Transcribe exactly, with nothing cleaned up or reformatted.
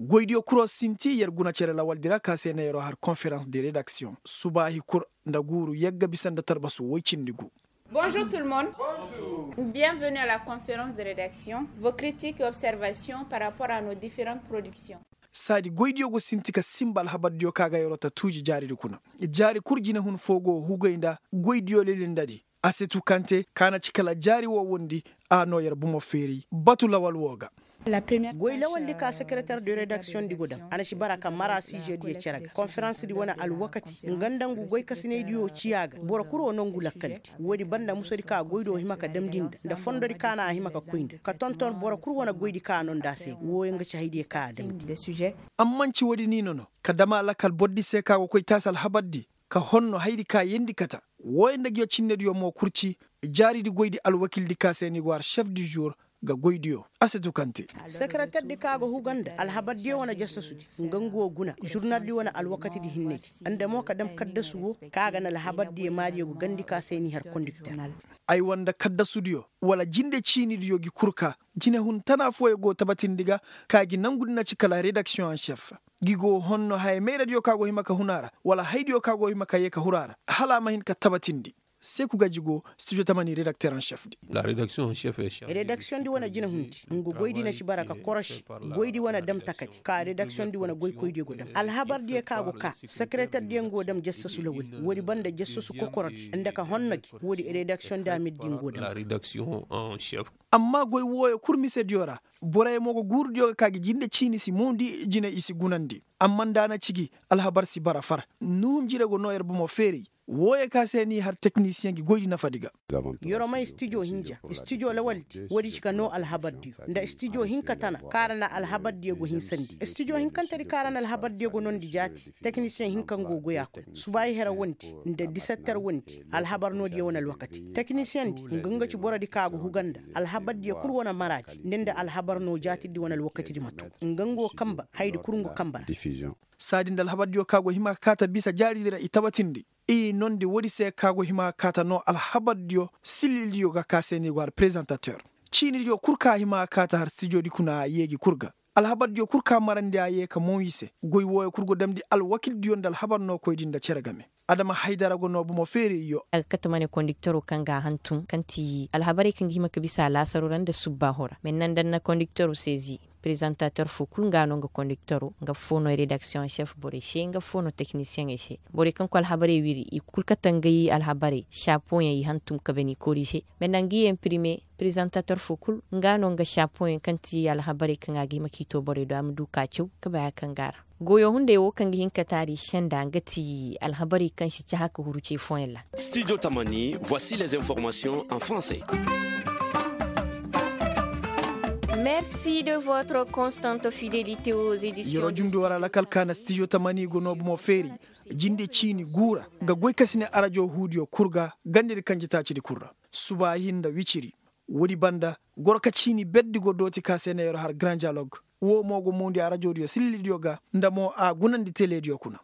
Goydiyo kuro sinti yer guna cere lawaldi ra ka se na yeroo har konferans de redaksiyoŋ. Subaahi kul nda guuru yagga bisa nda tarbasu woy cindi gu. Bonjour tout le monde. Bienvenue à la conférence de rédaction. Vos critiques et observations par rapport à nos différentes productions. Saadi goydiyo go sinti ka sinba alhabardiyo ka ga yeroo ta tuuji jaaridi kuna. Jaari kul jinehun foo go hugay nda goydiyo lilindadi. Asetu kante ka na ci kala jaari woo wondi. A noo yer bomo feeray batu lawal woo ga. Goy lawaldi ka sekereter de redaksiyoŋdi go dam a na ci bara ka mara siizediyo cere ga konferansdi wane alwakati nga nda ngu goykasinaydiyo ciya ga boro kul woo nongu lakkaldi. Woodi banda musodi ka goydiyo hima ka damndi nda nda fondodi ka na a hima ka koy nda ka tonton boro kul wane goydi ka a noo nda a se ga wooyo nga ci haydiyo ka a damndi. Amma nci woodi niino no ka dam a lakal bordi se ka go koy taasi alhabardi ka honno haydi ka yeendi kata. Wooyo nda nguyo cinnediyo mo kurci jaaridi goydi alwakildi ka se ni go har šef du žur ga goydiyo. A si tukante. Sekereterdi ka go huga nda alhabardiyo wane jasasudi nga ngu wo guna žurnaldi wane alwakatidi hinnedi nda mo ka dam kaddasu wo ka ga na alhabardiyo maadiyo go gandi ka se ni har kondikter. Ay wanda kaddasudiyo wala jinde ciinidiyo gi kurka jinehun tana fooyo go tabatindi ga ka gi nangudi na ci kala redaksiyoŋ en šef. Gi go honno haya mayradiyo ka go hima ka hun a ra wala haydiyo ka go hima ka yee ka hur a ra hala a ma hin ka tabatindi. Seku gaji go studio tamani redakter en šef di. Redaksiyoŋ di wane jinehundi nga goydi na ci bara ka korosi goydi wane dam takadi ka redaksiyoŋ di wane goykoydiyo go dam alhabardiyo ka go ka sekereterdiyo nga go dam jassasu lawali woodi banda jassasu kokorodi nda ka honno gi woodi redaksiyoŋ di a mirdi nga go dam. Amma goy wooyo kul misediyo ra boroyo mo go guurudiyo ga ka gi jinde ciini si moondi jine i si gunandi. Amma nda a na ci gi alhabar si bara far nuhum jire go noo yer bomo feeray. Wooyo ka se ni har teknisiyeŋ gi goydi nafadi ga. Yer o may stijo hinja stijo lawaldi woodi ci ka noo alhabardiyo nda stijo hinka tana kaŋ a ra na alhabardiyo go hinsandi stijo hinkantedi kaŋ a ra na alhabardiyo go noondi jaati. Teknisiyeŋ hinka nga go goy a koy subaayi here wondi nda disetter wondi alhabar noodiyo wane alwakati teknisiyeŋdi nga nga ci borodi kaŋ a go huga nda alhabardiyo kul wane maraadi nda nda alhabar noo jaatidi wane alwakatidi ma too. Nga nga wo kanba hayadi kul nga kanba ra. Saadi nda alhabardiyo kaŋ a go hima ka kaata bisa jaaridi ra i tabatindi i noondi woodi se kaŋ a go hima ka kaata noo alhabardiyo sillildiyo ga ka se ni go har prezantater ciinidiyo kul kaŋ a hima ka kaata har stijodi kuna a yee gi kul ga. Alhabardiyo kul ka marandi a yee ka moŋ i se goy wooyo kul go damndi alwakildiyo nda alhabar nookoydi nda cere game. Adama haydara go noo bomo feerayyo. A ga kate ma ne kondiktero kaŋ ga a hantum kaŋ ti alhabarey kaŋ ga hima ka bisa alaasaro ra nda subbaaho ra mais naŋ da na kondiktero seezi prezantater foo kul nga no nga kondiktero nga foo no redaksiyoŋ šef borey se nga foo no teknisiyeŋey se. Borey kaŋ koy alhabarey wiri i kul kate ngey alhabarey šapoyaŋ i hantum ka bani koori se. Mais naŋ ga i emprime prezantater foo kul nga no nga šapoyaŋ kaŋ ti alhabarey kaŋ a ga hima ka i too borey do a ma du ka caw ka bay haya kaŋ go a ra. Goyo hunday wo kaŋ ga hin ka taari senda nga ti alhabarey kaŋ si cahã ka huru ce fooyaŋ ra. Studio tamani, voici les informations en français. Merci de votre constante fidélité aux éditions. Yeroo jumndi war alakal kaana studio tamani go noo bomo feeri jinde ciini guura ga goy ka si ne arajo huudiyo kul ga gandedi kanjetaacidi kul ra. Subaahi nda wiciri woodi banda goro ka ciini berdi go dooti ka se na yeroo har grand dialogue. Woo mo go muundi arajodiyo sillildiyo ga nda mo a gunandi telediyo kuna.